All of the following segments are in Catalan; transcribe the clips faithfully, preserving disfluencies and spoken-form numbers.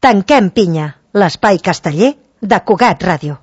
Tanquem pinya, l'espai casteller de Cugat Ràdio.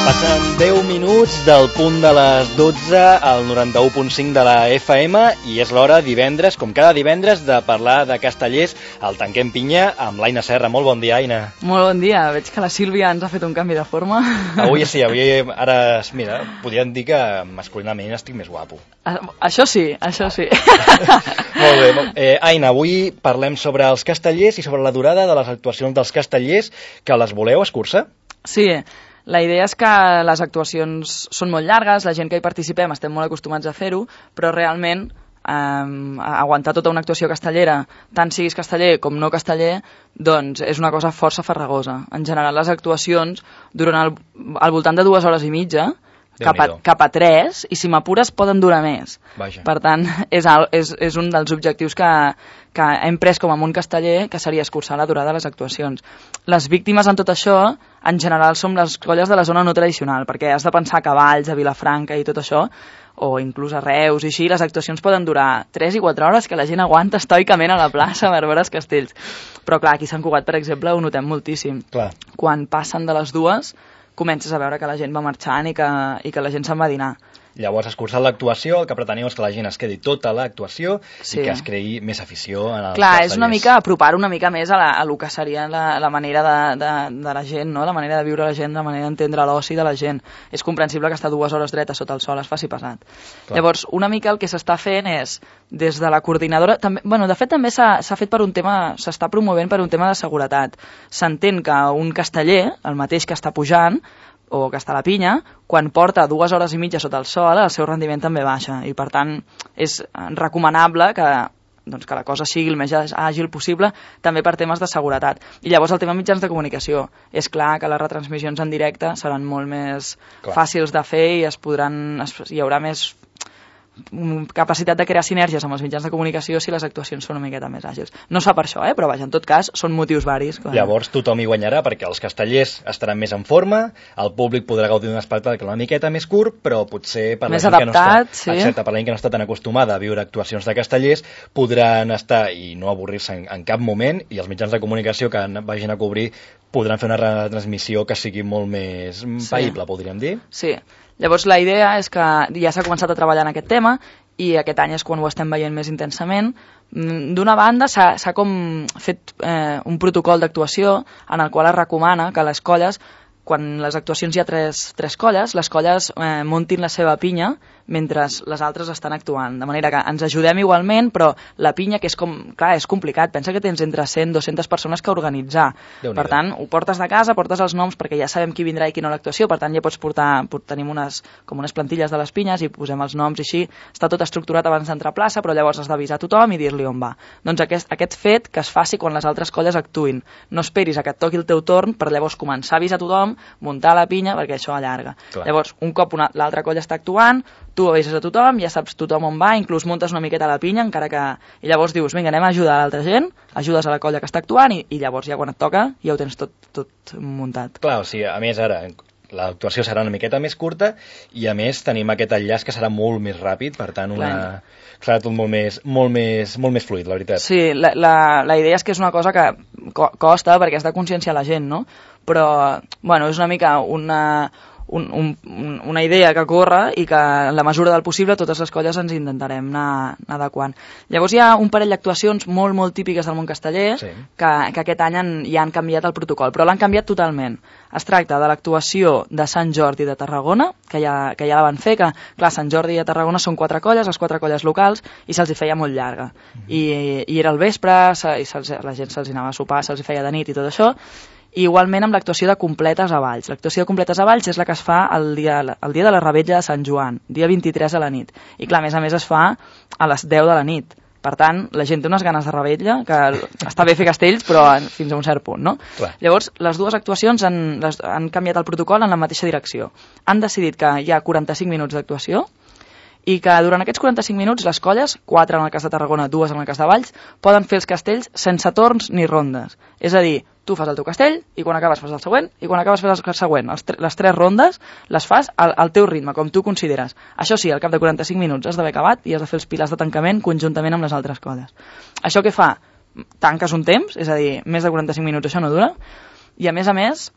Passen deu minuts del punt de les dotze al noranta-u punt cinc de la F M i és l'hora divendres, com cada divendres, de parlar de castellers al Tanquem Pinya amb l'Aina Serra. Molt bon dia, Aina. Molt bon dia. Veig que la Sílvia ens ha fet un canvi de forma. Avui sí, avui ara, mira, podríem dir que masculinament estic més guapo. Això sí, això sí. Molt bé. Eh, Aina, avui parlem sobre els castellers i sobre la durada de les actuacions dels castellers, que les voleu escurçar? Sí. La idea és que les actuacions són molt llargues, la gent que hi participem estem molt acostumats a fer-ho, però realment eh, aguantar tota una actuació castellera, tant siguis casteller com no casteller, doncs és una cosa força farragosa. En general les actuacions duren al, al voltant de dues hores i mitja, cap a, cap a tres, i si m'apures poden durar més. Vaja. Per tant, és, és, és un dels objectius que, que hem pres com a món casteller, que seria escurçar la durada de les actuacions. Les víctimes en tot això, en general, som les colles de la zona no tradicional, perquè has de pensar a Cavalls, a Vilafranca i tot això, o inclús a Reus, i així, les actuacions poden durar tres i quatre hores, que la gent aguanta estoicament a la plaça per veure els castells. Però clar, aquí a Sant Cugat, per exemple, ho notem moltíssim. Clar. Quan passen de les dues, comences a veure que la gent va marxant i que, i que la gent se'n va a dinar. Llavors, escurçant l'actuació, el que preteniu és que la gent es quedi tota l'actuació sí. i que es creï més afició en els Clar, castellers. És una mica apropar una mica més a, la, a lo que seria la, la manera de, de, de la gent, no? La manera de viure la gent, la manera d'entendre l'oci de la gent. És comprensible que estar dues hores dreta sota el sol es faci pesat. Clar. Llavors, una mica el que s'està fent és, des de la coordinadora, també, bueno, de fet també s'ha fet per un tema, s'està promovent per un tema de seguretat. S'entén que un casteller, el mateix que està pujant, o que està a la pinya, quan porta dues hores i mitja sota el sol, el seu rendiment també baixa. I, per tant, és recomanable que, doncs, que la cosa sigui el més àgil possible, també per temes de seguretat. I llavors el tema mitjans de comunicació. És clar que les retransmissions en directe seran molt més clar. Fàcils de fer i es podran, es, hi haurà més capacitat de crear sinergies amb els mitjans de comunicació si les actuacions són una miqueta més àgils. No es fa per això, eh? Però vaja, en tot cas, són motius varis. Clar. Llavors tothom hi guanyarà perquè els castellers estaran més en forma, el públic podrà gaudir d'un espectacle una miqueta més curt, però potser per la més gent adaptat, que no està, sí. excepte per la gent que no està tan acostumada a viure actuacions de castellers, podran estar i no avorrir-se en, en cap moment, i els mitjans de comunicació que vagin a cobrir podran fer una retransmissió que sigui molt més païble, sí. Podríem dir. Sí. Llavors la idea és que ja s'ha començat a treballar en aquest tema i aquest any és quan ho estem veient més intensament. D'una banda s'ha com fet eh, un protocol d'actuació en el qual es recomana que les colles, quan les actuacions hi ha tres, tres colles, les colles eh, muntin la seva pinya mentre les altres estan actuant. De manera que ens ajudem igualment, però la pinya, que és com, clar, és complicat, pensa que tens entre cent i dues-centes persones que organitzar. Per tant, ho portes de casa, portes els noms perquè ja sabem qui vindrà i qui no a l'actuació, per tant ja pots portar, tenim unes, com unes plantilles de les pinyes i posem els noms i així, està tot estructurat abans d'entrar a plaça, però llavors has d'avisar tothom i dir-li on va. Doncs aquest, aquest fet que es faci quan les altres colles actuïn. No esperis a que et toqui el teu torn per llavors començar a avisar tothom, muntar la pinya, perquè això allarga. Clar. Llavors, un cop l'altra colla està actuant, tu avises a tothom, ja saps tothom on va, inclús muntes una miqueta la pinya, encara que... I llavors dius, vinga, anem a ajudar a l'altra gent, ajudes a la colla que està actuant i, i llavors ja quan et toca ja ho tens tot, tot muntat. Clar, o sigui, a més ara, l'actuació serà una miqueta més curta i a més tenim aquest enllaç que serà molt més ràpid, per tant una... serà tot molt més, molt, més, molt més fluid, la veritat. Sí, la, la, la idea és que és una cosa que co costa perquè has de conscienciar la gent, no? Però, bueno, és una mica una... Un, un, una idea que corre i que en la mesura del possible totes les colles ens intentarem anar, anar adequant. Llavors hi ha un parell d'actuacions molt molt típiques del món casteller sí. que, que aquest any han, ja han canviat el protocol, però l'han canviat totalment. Es tracta de l'actuació de Sant Jordi de Tarragona, que ja, que ja la van fer, que clar, Sant Jordi i Tarragona són quatre colles, les quatre colles locals, i se'ls hi feia molt llarga. Mm-hmm. I, i era el vespre, se, i la gent se'ls anava a sopar, se'ls hi feia de nit i tot això. I igualment amb l'actuació de Completes a Valls. L'actuació de Completes a Valls és la que es fa el dia, el dia de la Revetlla de Sant Joan, dia vint-i-tres a la nit. I clar, a més a més es fa a les deu de la nit. Per tant, la gent té unes ganes de revetlla, que està bé fer castells, però fins a un cert punt, no? Clar. Llavors, les dues actuacions han, les, han canviat el protocol en la mateixa direcció. Han decidit que hi ha quaranta-cinc minuts d'actuació i que durant aquests quaranta-cinc minuts les colles, quatre en el cas de Tarragona, dues en el cas de Valls, poden fer els castells sense torns ni rondes. És a dir, tu fas el teu castell, i quan acabes fas el següent, i quan acabes fas el següent. Els tre les tres rondes les fas al, al teu ritme, com tu consideres. Això sí, al cap de quaranta-cinc minuts has d'haver acabat i has de fer els pilars de tancament conjuntament amb les altres colles. Això què fa? Tanques un temps, és a dir, més de quaranta-cinc minuts això no dura, i a més a més,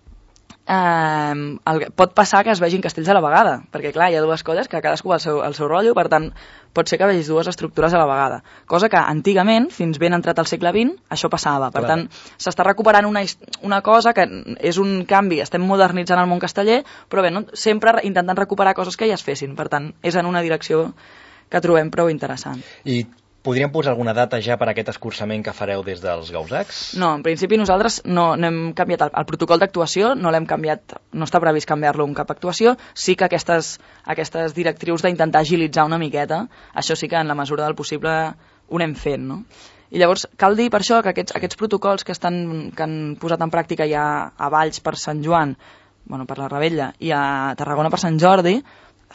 eh, el, pot passar que es vegin castells a la vegada, perquè clar, hi ha dues colles que cadascú va al seu, al seu rotllo, per tant, pot ser que vegis dues estructures a la vegada, cosa que antigament, fins ben entrat al segle vint, això passava. Per tant, s'està recuperant una, una cosa que és un canvi, estem modernitzant el món casteller, però bé, no? Sempre intentant recuperar coses que ja es fessin, per tant, és en una direcció que trobem prou interessant. I podríem posar alguna data ja per aquest escurçament que fareu des dels Gausacs? No, en principi nosaltres no, no hem canviat el, el protocol d'actuació, no l'hem canviat, no està previst canviar-lo en cap actuació, sí que aquestes, aquestes directrius d'intentar agilitzar una miqueta, això sí que en la mesura del possible ho anem fent, no? I llavors cal dir per això que aquests, aquests protocols que, estan, que han posat en pràctica ja a Valls per Sant Joan, bueno, per la Rebella, i a Tarragona per Sant Jordi,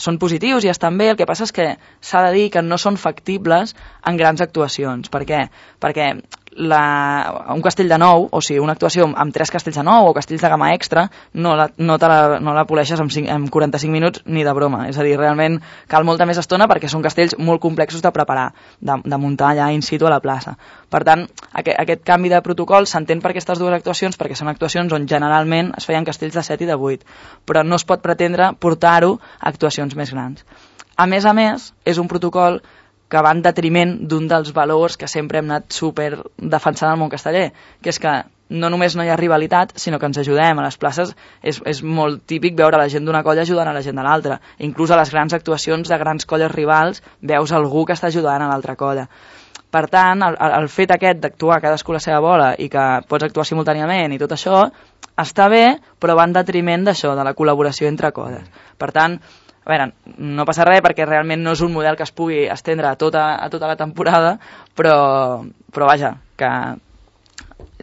són positius i estan bé, el que passa és que s'ha de dir que no són factibles en grans actuacions. Per què? Perquè la, un castell de nou, o sigui, una actuació amb tres castells de nou o castells de gamma extra, no la, no te la, no la poleixes en, cinc, en quaranta-cinc minuts ni de broma. És a dir, realment cal molta més estona perquè són castells molt complexos de preparar, de, de muntar allà in situ a la plaça. Per tant, aquest, aquest canvi de protocol s'entén per aquestes dues actuacions perquè són actuacions on generalment es feien castells de set i de vuit, però no es pot pretendre portar-ho a actuacions més grans. A més a més, és un protocol que va en detriment d'un dels valors que sempre hem anat super defensant al món casteller, que és que no només no hi ha rivalitat, sinó que ens ajudem. A les places és, és molt típic veure la gent d'una colla ajudant a la gent de l'altra. Inclús a les grans actuacions de grans colles rivals veus algú que està ajudant a l'altra colla. Per tant, el, el fet aquest d'actuar cadascú a la seva bola i que pots actuar simultàniament i tot això, està bé, però va en detriment d'això, de la col·laboració entre colles. Per tant, a veure, no passa res perquè realment no és un model que es pugui estendre a tota, a tota la temporada, però, però vaja, que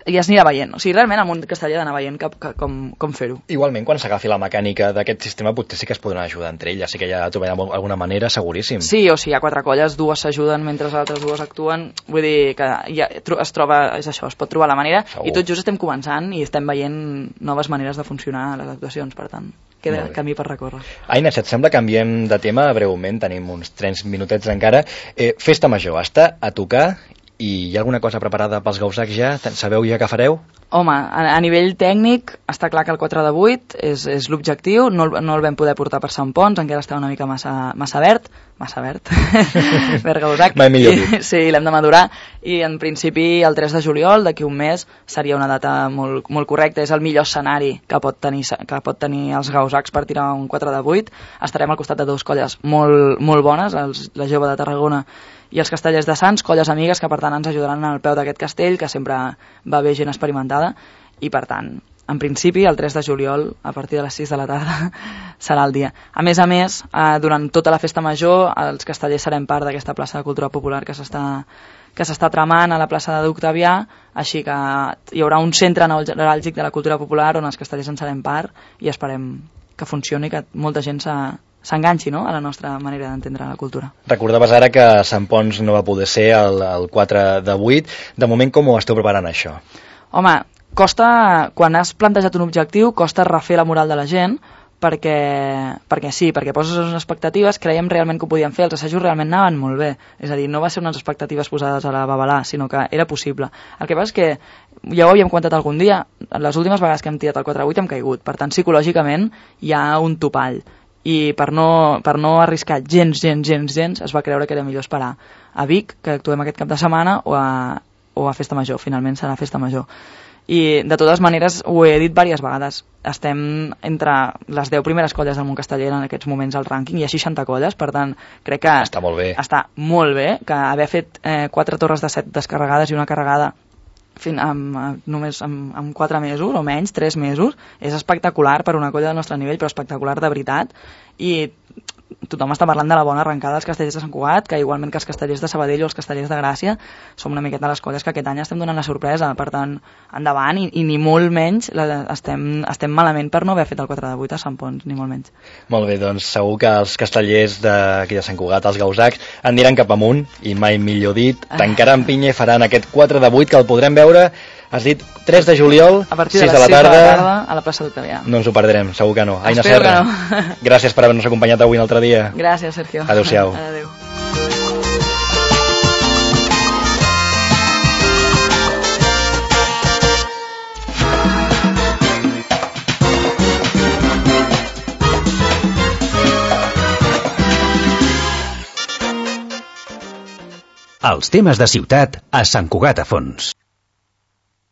ja es anirà veient. O sigui, realment el món casteller ha d'anar veient que, que, com, com fer-ho. Igualment, quan s'agafi la mecànica d'aquest sistema, potser sí que es podran ajudar entre elles, sí que ja trobarem alguna manera, seguríssim. Sí, o sigui, hi ha quatre colles, dues s'ajuden mentre les altres dues actuen, vull dir que ja es troba, és això, es pot trobar la manera, segur. I tot just estem començant i estem veient noves maneres de funcionar a les actuacions, per tant, queda camí per recórrer. Aina, si et sembla, canviem de tema breument, tenim uns tres minutets encara. Eh, festa major, està a tocar i hi ha alguna cosa preparada pels Gausacs ja? Sabeu ja què fareu? Home, a, a nivell tècnic està clar que el quatre de vuit és, és l'objectiu, no, no el vam poder portar per Sant Pons, encara està una mica massa, massa verd, massa verd, verd Gausac. Mai millor dit. Sí, l'hem de madurar, i en principi el tres de juliol, d'aquí un mes, seria una data molt, molt correcta, és el millor escenari que pot tenir, que pot tenir els Gausacs per tirar un quatre de vuit. Estarem al costat de dues colles molt, molt bones, els, la Jove de Tarragona i els Castellers de Sants, colles amigues que per tant ens ajudaran al peu d'aquest castell, que sempre va bé gent experimentada, i per tant, en principi, el tres de juliol, a partir de les sis de la tarda, serà el dia. A més a més, eh, durant tota la festa major, els castellers serem part d'aquesta plaça de cultura popular que s'està que s'està tramant a la plaça d'Octavià, així que hi haurà un centre neuràlgic de la cultura popular on els castellers en serem part i esperem que funcioni, que molta gent s'ha s'enganxi, no?, a la nostra manera d'entendre la cultura. Recordaves ara que Sant Pons no va poder ser el, el quatre de vuit. De moment, com ho esteu preparant, això? Home, costa, quan has plantejat un objectiu, costa refer la moral de la gent, perquè, perquè sí, perquè poses unes expectatives, creiem realment que ho podíem fer, els assajos realment anaven molt bé, és a dir, no va ser unes expectatives posades a la babalà, sinó que era possible. El que passa és que, ja ho havíem comentat algun dia, les últimes vegades que hem tirat el quatre de vuit hem caigut, per tant, psicològicament hi ha un topall, i per no, per no arriscar gens, gens, gens, gens, es va creure que era millor esperar a Vic, que actuem aquest cap de setmana, o a, o a Festa Major. Finalment serà Festa Major. I de totes maneres ho he dit diverses vegades, estem entre les deu primeres colles del món casteller en aquests moments al rànquing, hi ha seixanta colles, per tant crec que està molt bé, està molt bé que haver fet eh, quatre torres de set descarregades i una carregada fin, amb, només amb, amb quatre mesos o menys, tres mesos, és espectacular per una colla del nostre nivell, però espectacular de veritat, i tothom està parlant de la bona arrencada dels castellers de Sant Cugat, que igualment que els castellers de Sabadell o els castellers de Gràcia som una miqueta les colles que aquest any estem donant la sorpresa, per tant, endavant, i, i ni molt menys la, estem, estem malament per no haver fet el quatre de vuit a Sant Pons, ni molt menys. Molt bé, doncs segur que els castellers d'aquí de Sant Cugat, els Gausacs, aniran cap amunt, i mai millor dit, tancaran pinya i faran aquest quatre de vuit que el podrem veure Has dit tres de juliol, a partir sis de de les la sis de la tarda, tarda a la plaça d'Octavià. No ens ho perdrem, segur que no. Aina Espero Serra, que no. gràcies per haver-nos acompanyat avui un altre dia. Gràcies, Sergio. Adéu-siau. Adéu. Els temes de ciutat a Sant Cugat a Fons.